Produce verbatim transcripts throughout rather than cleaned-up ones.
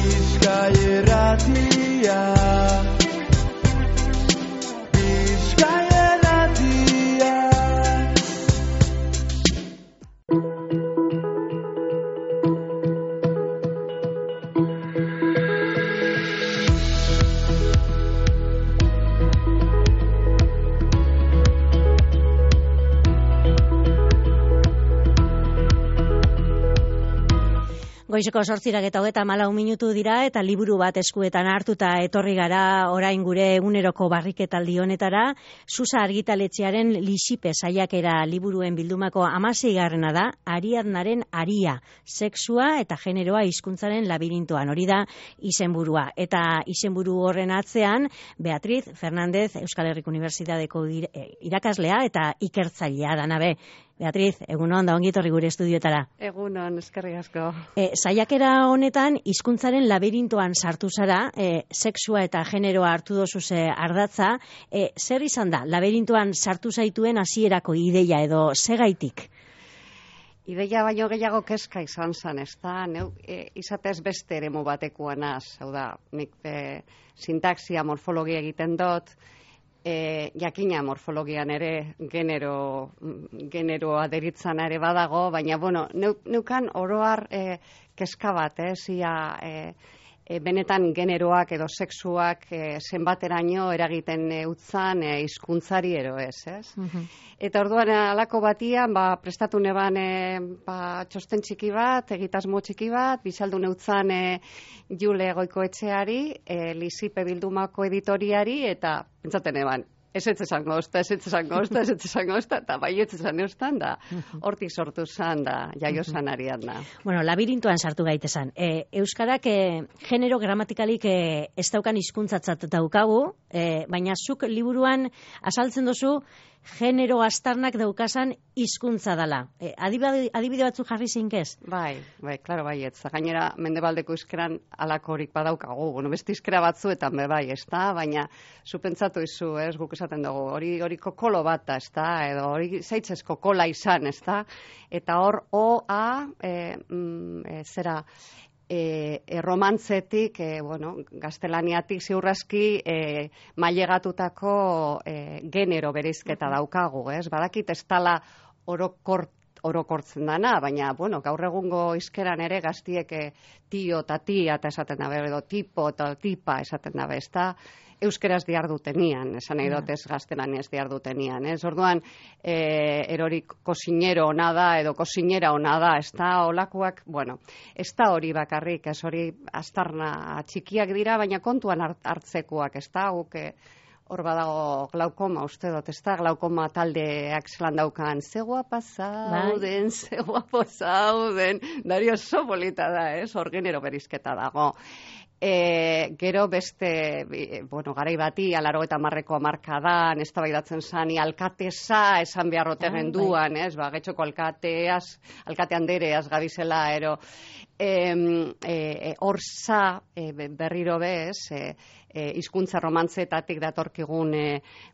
Bizkai irratia. Bizkai irratia. Goizeko zortzirak eta hogeta malau minutu dira eta liburu bat eskuetan hartuta etorri gara orain gure eguneroko barriketaldi honetara. Susa argitaletxearen Lisipe saiakera liburuen bildumako hamaseigarrena da, Ariadnaren aria, sexua eta generoa hizkuntzaren labirintoan. Hori da izenburua. Eta izenburu horren atzean, Beatriz Fernández Euskal Herriko Unibertsitateko irakaslea eta ikertzailea da nabe. Beatriz, egunon da ongi etorri gure estudioetara. Egunon, eskerrik asko. E, saiakera honetan, hizkuntzaren labirintoan sartu zara, e, sexua eta generoa hartu dozuz ardatza. E, zer izan da, labirintoan sartu zaituen hasierako ideia edo segaitik? Ideia baino gehiago kezka izan zen, ez da, neu, e, izatez beste eremu batekoa naz, hau da, nik e, sintaxia, morfologia egiten dut, E, jakina morfologian ere genero, generoa deritzan ere badago, baina, bueno, neukan oroar e, keska bat, eh, zia, e, e, benetan generoak edo sexuak e, zenbateraino eragiten e, utzan e, hizkuntzari ero ez, ez? Uh-huh. Eta orduan alako batian, ba, prestatu neban e, ba, txosten txiki bat, egitasmo txiki bat, bizaldu neutzan e, Jule Goikoetxeari, e, Lisipe bildumako editoriari, eta pentsaten eban, ez ez esango ozta, ez ez esango ozta, ez ez esango ozta, eta bai ez esan eustan da, hortik sortu zan da, jaio zan Ariadna. Bueno, labirintoan sartu gaitezan. E, Euskarak e, genero gramatikalik e, ez daukan hizkuntzatzat daukagu, e, baina zuk liburuan azaltzen duzu genero astarnak daukasan hizkuntza dela. E, adibide, adibide batzuk jarri zinkez? Bai, bai, klaro bai, ez. Gainera, mendebaldeko izkeran alakorik badaukagu. Bueno, beste izkera batzuetan be bai, ez da? Baina, zu pentsatu izu, ez, guk esaten dugu, hori hori kokolo bat da, ez da? Edo hori zaitzez kokola izan, ez da? Eta hor, o, a, e, mm, e, zera, E, e, romantzetik, e, bueno, gaztelaniatik ziurraski e, mailegatutako e, genero bereizketa daukagu, ez? Badakit ez tala orokort, orokortzen dana, baina, bueno, gaur egungo hizkeran ere gaztiek e, tio eta tia eta esaten dabe, edo tipo eta tipa esaten dabe, ez da? Euskeraz diardutenian, esan nahi dut ez gaztelaniaz diardutenian, ez? Orduan, e, erori kosinero ona da, edo kosinera ona da, ez da, olakoak, bueno, ez da hori bakarrik, ez hori astarna txikiak dira, baina kontuan hartzekoak, ez da, guk hor badago glaukoma, uste dut, ez da, glaukoma taldeak zelan daukan, ze guapa zauden, ze guapo zauden, dari oso polita da, ez, hor genero berizketa dago. E, gero beste, bueno, garai bati, alaro eta marreko amarkadan, ez da baidatzen zani, alkateza esan beharrote ah, genduan, ez, ba, getxoko alkateaz, alkate handereaz gabizela, ero, e, e, orza e, berriro bez, e, e, hizkuntza romantzetatik datorkigun e,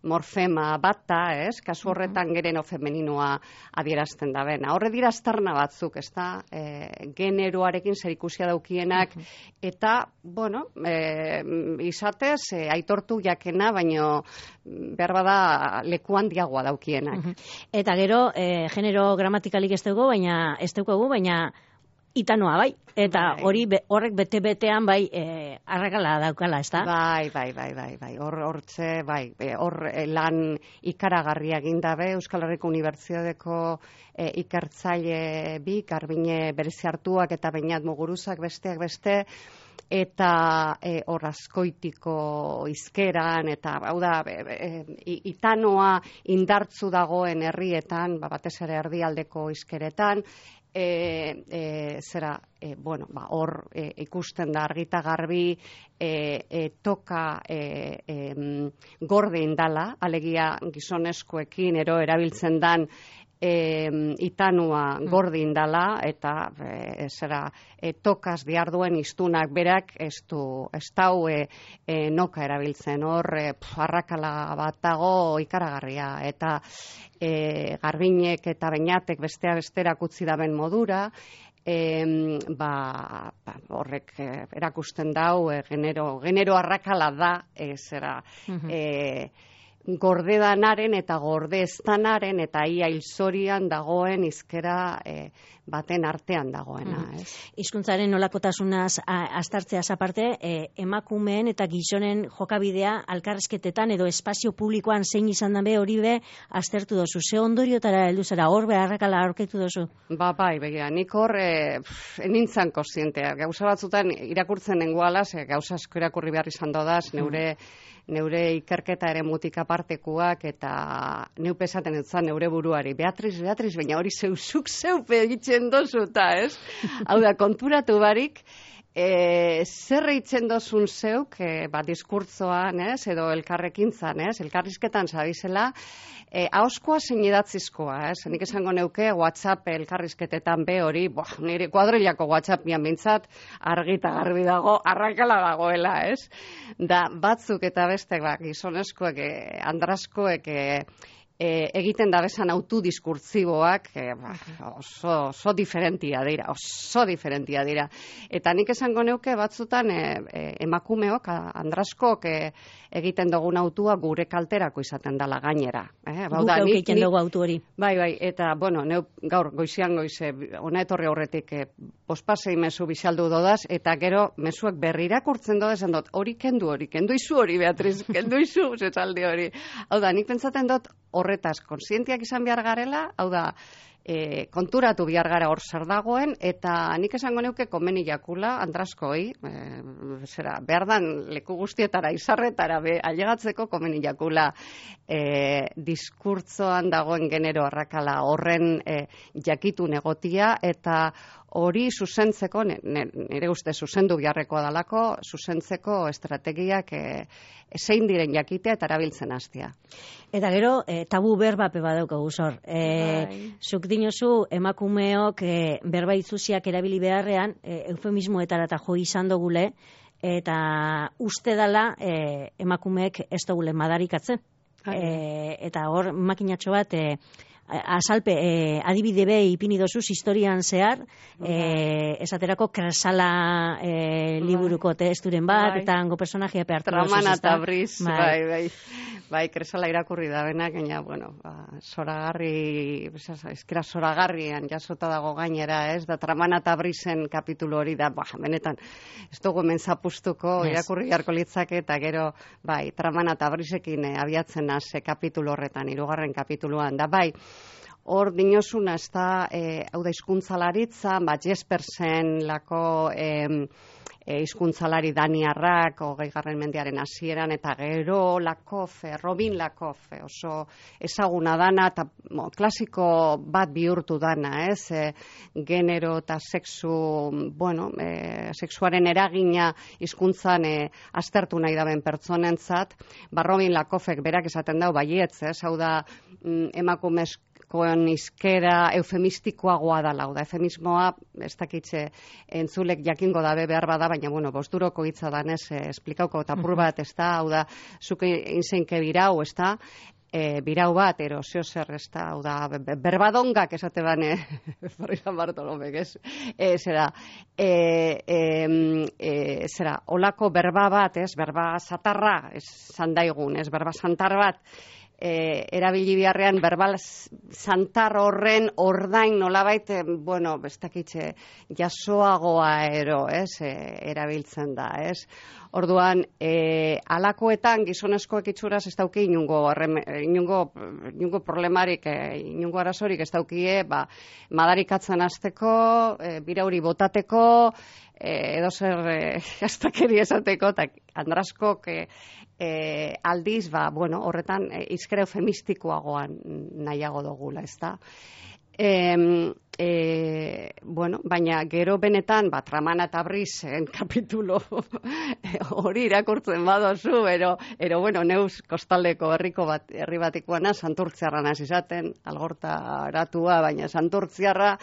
morfema bata, ez, kasu horretan gereno femeninoa adierazten da bena. Horre dira astarna batzuk, ez da, e, generoarekin zerikusia daukienak, eta, bueno, e, izatez, e, aitortu jakena, baino behar bada leku handiagoa daukienak. Eta gero, e, genero gramatikalik ez dugu, baina ez dugu, baina itanoa, bai? Eta bai. Hori be, horrek bete-betean, bai, e, arrakala daukala, ez da? Bai, bai, bai, bai, bai, hor, hortze, bai, hor lan ikaragarria gindabe, Euskal Herriko Unibertsitateko e, ikertzaile bi, Garbine berezi hartuak eta Beñat Muguruzak besteak beste, eta e, hor azkoitiko izkeran, eta hau da, e, e, itanoa indartzu dagoen herrietan, ba, batez ere erdialdeko izkeretan, E, e, zera, e, bueno, ba, hor e, ikusten da argita garbi e, e, toka e, e, gorde indala, alegia gizonezkoekin ero erabiltzen dan e, itanua gorde indala, eta e, zera, e, tokaz diarduen iztunak berak ez du, ez dau e, e, noka erabiltzen, hor e, arrakala bat dago ikaragarria, eta E, Garbinek eta Beñatek bestea besterak utzi daben modura, e, ba, ba, horrek eh, erakusten dau, eh, genero, genero arrakala da, eh, zera, Mhm. eh, gordedanaren eta gordeestanaren eta ia hilzorian dagoen izkera eh, baten artean dagoena. Mhm. Ez? Hizkuntzaren nolakotasunaz a- aztertzeaz aparte, e, emakumeen eta gizonen jokabidea alkarrezketetan edo espazio publikoan zein izan da be hori be aztertu dozu. Ze ondoriotara heldu zara, hor beharrakala aurkitu dozu? Ba, bai, begira, nik hor e, enintzan kontzientea. Gauza batzutan irakurtzen nengoala, ze gauza asko irakurri behar izan dodaz, neure neure ikerketa ere mutik apartekuak eta neupe esaten etzan neure buruari. Beatriz, Beatriz, baina hori zeuzuk zeupe egiten dozu, eta ez? Hau da, konturatu barik, E, zer eitzen dozun zeuk, e, ba, diskurtzoan, ez, edo elkarrekintzan, ez, elkarrizketan zabizela, e, ahoskoa zein idatzizkoa, ez, nik esango neuke WhatsApp elkarrizketetan be hori, boah, nire kuadrilako WhatsAppian bintzat, argita garbi dago, arrakala dagoela, ez, da, batzuk eta bestek, ba, gizoneskoek, e, andraskoek, e, E, egiten da bezan autodiskurtziboak e, ba, oso, oso diferentia dira, oso diferentia dira. Eta nik esango neuke batzutan e, e, emakumeok, andraskok e, egiten dugun autua gure kalterako izaten dela gainera. Eh? Guk egiten dugu autu hori. Bai, bai, eta, bueno, neu gaur goizian goize, ona etorri aurretik e, bospasei mezu bizaldu dodaz, eta gero mezuak berrirakurtzen dodaz, dut, hori kendu, hori kendu izu hori, Beatriz, kendu izu, zetzaldi hori. Hau da, nik pentsaten dut, horretaz konsientiak izan behar garela, hau da, e, konturatu behar gara hor zer dagoen, eta nik esango neuke komeni jakula, andraskoi, e, zera, behar dan leku guztietara, izarretara, be, ailegatzeko komeni jakula e, diskurtzoan dagoen genero arrakala horren e, jakitun egotia, eta hori zuzentzeko, nire uste zuzendu biharrekoa dalako, zuzentzeko estrategiak e, zein diren jakitea eta erabiltzen hastea. Eta gero, e, tabu berbape badaukagu zor. E, bai. Zuk dinozu emakumeok e, berba itzuziak erabili beharrean, e, eufemismoetara eta jo izan dugule, eta uste dala e, emakumeek ez dugule madarikatzen. E, eta hor makinatxo bat... E, azalpe, eh, adibide be ipini dozuz historian zehar, eh, esaterako Kresala eh, liburuko testuren bat, bai. eta hango personajea pehartu dozuz. Tramana eta Briz, bai, bai, bai, bai, Kresala irakurri da benak, gaina, bueno, ba, zoragarri, eskera zoragarrian jasota dago gainera, ez, da Tramana eta Brizen kapitulu hori da, ba, benetan, ez dugu hemen zapustuko, yes. Irakurri jarko litzake, eta gero, bai, Tramana eta Brizekin eh, abiatzen az kapitulu horretan, hirugarren kapituluan, da, bai, hor dinozuna ez da, e, hau da hizkuntzalaritza, ba, Jespersen lako e, e, hizkuntzalari daniarrak, hogei garren mendiaren hasieran eta gero Lakofe, Robin Lakofe, oso ezaguna dana, eta mo, klasiko bat bihurtu dana, ez, e, genero eta sexu, bueno, e, sexuaren eragina hizkuntzan e, aztertu nahi daben pertsonentzat, ba, Robin Lakofek berak esaten dau, baietz, ez, hau da, mm, emakumezko koen izkera eufemistikoagoa dala, da, eufemismoa, ez dakitze entzulek jakingo dabe behar bada, baina, bueno, bosturoko hitza danez, eh, esplikauko tapur bat, ez da, hau da, zuke inzeinke birau, ez da, e, birau bat, ero, zeo zer, ez da, hau da, berbadongak esate bane, Farriza Bartolomek, ez, e, zera, e, e, e, zera, olako berba bat, ez, berba zatarra, ez, zandaigun, ez, berba zantar bat, E, erabili biharrean berbal zantar horren ordain nolabait, e, bueno, bestakitxe jasoagoa ero, ez, e, erabiltzen da, ez. Orduan, e, alakoetan gizoneskoek itxuraz ez dauki inungo, inungo, inungo problemarik, e, inungo arazorik ez daukie, ba, madarikatzen hasteko, e, birauri botateko, e, edo zer e, astakeri esateko, eta andraskok e, E, aldiz, ba, bueno, horretan e, izkera eufemistikoagoan nahiago dugula, ez da. E, e, bueno, baina gero benetan, ba, Tramana eta Brizen kapitulo hori irakurtzen badozu, ero, ero, bueno, neuz kostaldeko herriko bat, herri batikoana, santurtziarra naz izaten, algorta aratua, baina santurtziarra,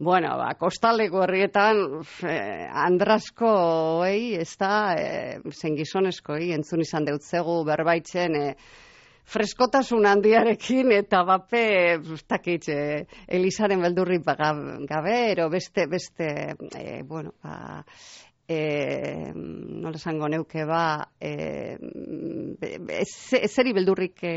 bueno, ba, kostaldeko herrietan eh, andraskoei, ez da, eh, zen gizoneskoi, entzun izan deutzegu berbaitzen, eh, freskotasun handiarekin eta bape, ez dakit, eh, Elisaren beldurrik gabe, ero beste, beste, eh, bueno, ba, E, nola esango neuke ba e, ezeri beldurrik e,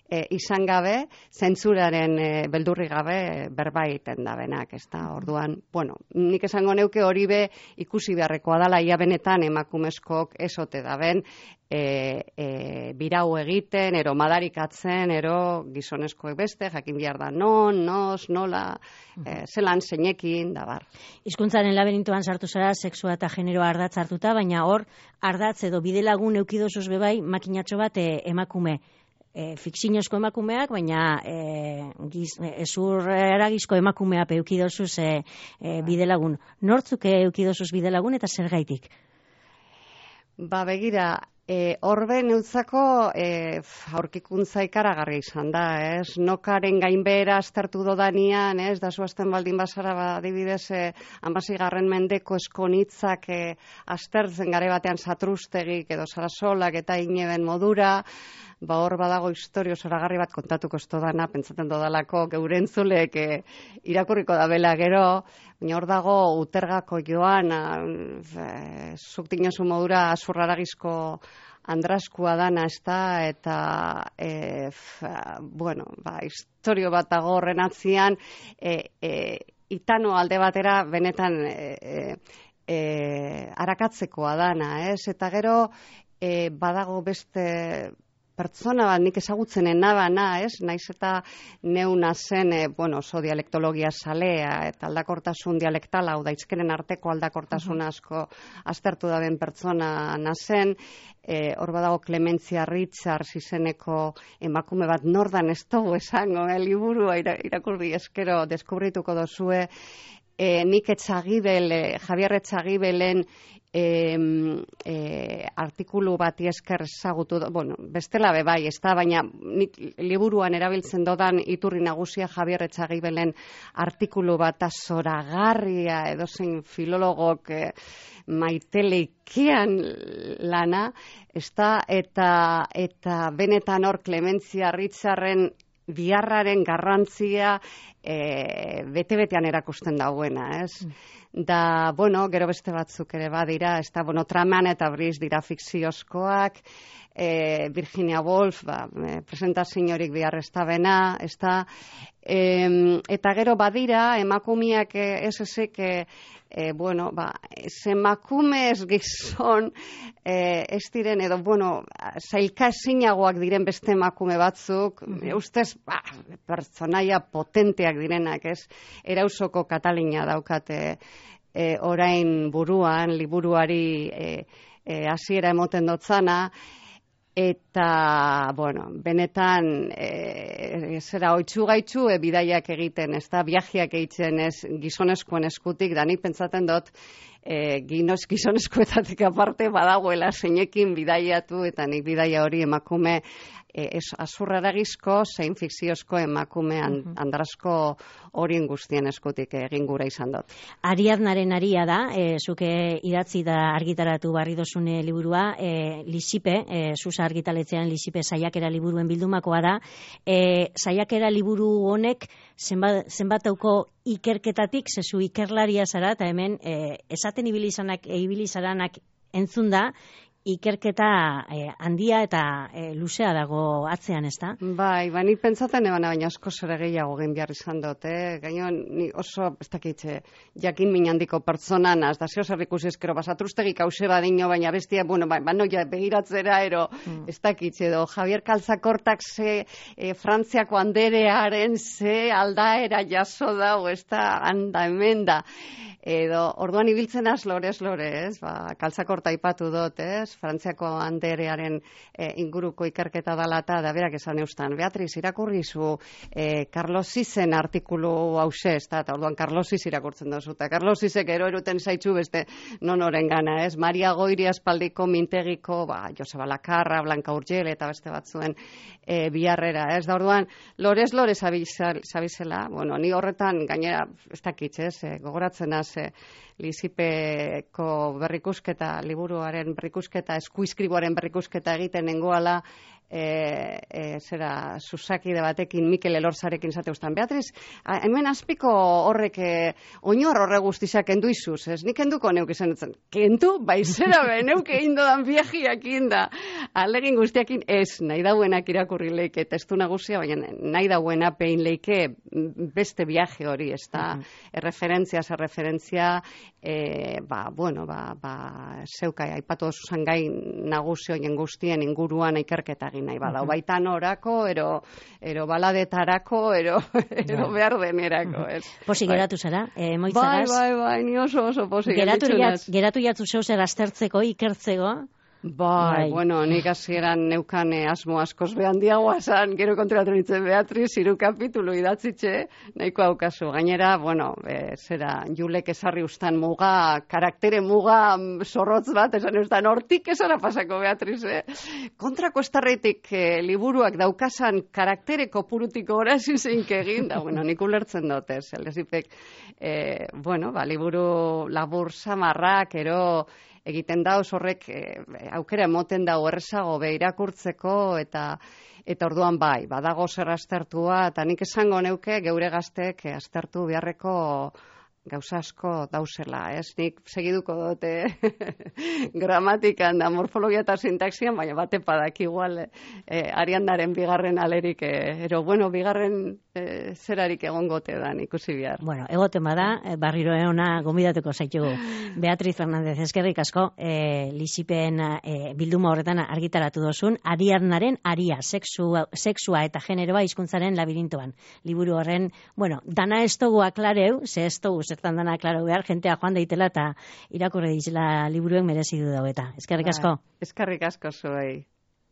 e, izan gabe, zentzuraren e, beldurrik gabe berbaiten da benak, ez da, orduan, bueno, nik esango neuke hori be ikusi beharrekoa dala, ia benetan emakumezkoak esote da ben, e, e, birau egiten, ero madarikatzen, ero gizonezkoek beste, jakin behar da non, nos, nola, e, zelan, zeinekin, da bar. Hizkuntzaren laberintoan sartu zara, sexua eta genero ardatz hartuta, baina hor, ardatz edo bidelagun eukidozuz bebai, makinatxo bat e, emakume. E, fikzinozko emakumeak, baina e, giz, ezur eragizko emakumea eukidozuz e, e, bidelagun. Nortzuk eukidozuz bidelagun eta zer gaitik? Ba, begira, e, horbe neutzako e, aurkikuntza ikaragarri izan da, ez? Nokaren gainbehera aztertu dodanian, ez? Da zuazten baldin bazara, ba, adibidez, e, ambazigarren mendeko eskonitzak e, aztertzen gare batean satrustegik edo sarasolak eta ineben modura, ba hor badago historio zoragarri bat kontatuko ez dodana, pentsaten dodalako geurentzulek e, irakurriko da bela gero, baina hor dago utergako joan, e, zuk dinosu modura azurraragizko andraskua dana, ez da, eta e, f, bueno, ba, historio bat dago horren atzian, e, e, itano alde batera benetan e, e, arakatzekoa dana, ez? Eta gero e, badago beste pertsona bat nik ezagutzenen nabana, ez? Naiz eta neuna zen, e, bueno, oso dialektologia salea eta aldakortasun dialektala, hau daizkenen arteko aldakortasun asko aztertu daben pertsona nazen, e, hor badago Clementzia Richards izeneko emakume bat nordan ez dugu esango, e, liburua ira, irakurri eskero deskubrituko dozue, e, nik etxagibel, e, Javier Etxagibelen E, e, artikulu bati esker ezagutu, bueno, bestela be bai, ez da, baina nik liburuan erabiltzen dodan iturri nagusia Javier Etxagibelen artikulu bat zoragarria edozein filologok e, maiteleikian lana, ez da, eta, eta benetan hor Clementzia Richarden biharraren garrantzia e, bete-betean erakusten dauena, ez? Da, bueno, gero beste batzuk ere badira, ez da, bueno, Traman eta Brice dira fikziozkoak, e, Virginia Woolf, ba, e, presentaziorik bihar ez da bena, ez da, e, eta gero badira, emakumiak ez ezek, e, e, bueno, ba, ez emakume ez gizon, e, ez diren, edo, bueno, zailka ezinagoak diren beste emakume batzuk, mm-hmm. ustez, ba, pertsonaia potenteak direnak, ez, erausoko Katalina daukate, e, orain buruan, liburuari e, e, hasiera emoten dotzana, eta, bueno, benetan, e, zera, oitzu gaitzu e, bidaiak egiten, ez da, viajeak egiten ez gizonezkoen eskutik, da nik pentsaten dut, e, ginoz gizonezkoetatik aparte badagoela zeinekin bidaiatu, eta nik bidaia hori emakume e, azurraragizko, zein fikziozko emakume and, andrasko horien guztien eskutik egin gura izan dut. Ariadnaren aria da, e, zuke idatzi da argitaratu barri dozune liburua, e, Lisipe, e, Susa argitaletzean Lisipe saiakera liburuen bildumakoa da, e, saiakera liburu honek zenbat, zenbatauko ikerketatik, zezu ikerlaria zara, eta hemen e, esaten ibilizanak, e, ibilizaranak entzun da, ikerketa eh, handia eta eh, luzea dago atzean, ez da? Bai, ba, ni pentsatzen ebana, baina asko zure gehiago egin behar izan dut, eh? Gaino, ni oso, ez dakitxe, jakin minandiko pertsonan, az da zeo zer ikusi eskero, basatrustegik hause badino, baina bestia, bueno, ba, ba noia, begiratzera, ero, mm. ez dakitxe, edo, Javier Kaltzakortak ze e, Frantziako anderearen ze aldaera jaso dago, ez da, handa, hemen da. Edo, orduan ibiltzen az, lorez, lorez, ba, Kaltzakorta ipatu dut, ez? Frantziako anderearen e, inguruko ikerketa dalata, da berak esan eustan. Beatriz, irakurrizu e, Carlos Sizen artikulu hause, ez da, eta orduan Carlos Sis irakurtzen dozu, eta Carlos Sisek ero eruten zaitzu beste nonoren gana, ez? Maria Goiri aspaldiko mintegiko, ba, Joseba Lakarra, Blanca Urgel, eta beste batzuen e, biharrera, ez? Da orduan, lorez, lorez zabizela, bueno, ni horretan gainera, ez dakitz, ez? E, gogoratzen az, e, Lisipeko berrikusketa, liburuaren berrikusketa, eskuizkriboaren berrikusketa egiten nengoala, e, e, zera, susakide batekin, Mikel Elorzarekin zate ustan. Beatriz, a, hemen azpiko horrek e, oinor horre guztizak kendu izuz, ez? Nik kenduko neuk izan dutzen. Kendu, baizera be, neuk egin dodan viajiak inda. Alegin guztiakin ez, nahi dauenak irakurri leike testu nagusia, baina nahi dauena pein leike beste viaje hori, ez da? Uh-huh. Erreferentzia, zer referentzia, e, ba, bueno, ba, ba, zeukai, aipatu zuzan gai nagusi hoien guztien inguruan ikerketa egin nahi badau. Uh-huh. Baita norako, ero, ero baladetarako, ero, ero yeah. behar denerako, ez? Posi geratu zara, e, moitzagaz? Bai, bai, bai, ni oso oso posi geratu, jat, geratu jatzu zeu zer aztertzeko, ikertzeko? Bai, bai, bueno, nik hasieran neukan eh, asmo askoz behan diagoa zan, gero konturatu nintzen Beatriz, hiru kapitulu idatzitxe, nahiko haukazu. Gainera, bueno, e, zera, Julek esarri ustan muga, karaktere muga zorrotz bat, esan ustan, hortik esara pasako Beatriz, eh? Kontrako estarretik eh, liburuak daukasan karaktere kopurutiko horazin zeink egin, da, bueno, nik ulertzen dut, ez, elezipek, eh, bueno, ba, liburu labur samarrak, ero, egiten da horrek e, aukera emoten da errezago be irakurtzeko eta eta orduan bai, badago zer aztertua eta nik esango neuke geure gaztek aztertu beharreko gauza asko dauzela, ez? Nik segiduko dute gramatikan da morfologia eta sintaxian, baina bate padak igual eh, Ariandaren bigarren alerik, eh, ero bueno, bigarren eh, zerarik egongote da ikusi behar. Bueno, egoten bada, eh, barriro eona gomidatuko zaitugu. Beatriz Fernández, eskerrik asko, eh, Lisipen eh, bilduma horretan argitaratu dozun, Ariadnaren aria, sexua, sexua eta generoa hizkuntzaren labirintoan. Liburu horren, bueno, dana ez dugu aklareu, ze ez dugu zertan dana klaro behar, jentea joan daitela eta irakurri dizela liburuen merezi du daueta. Eskerrik asko. Eskerrik asko zuei.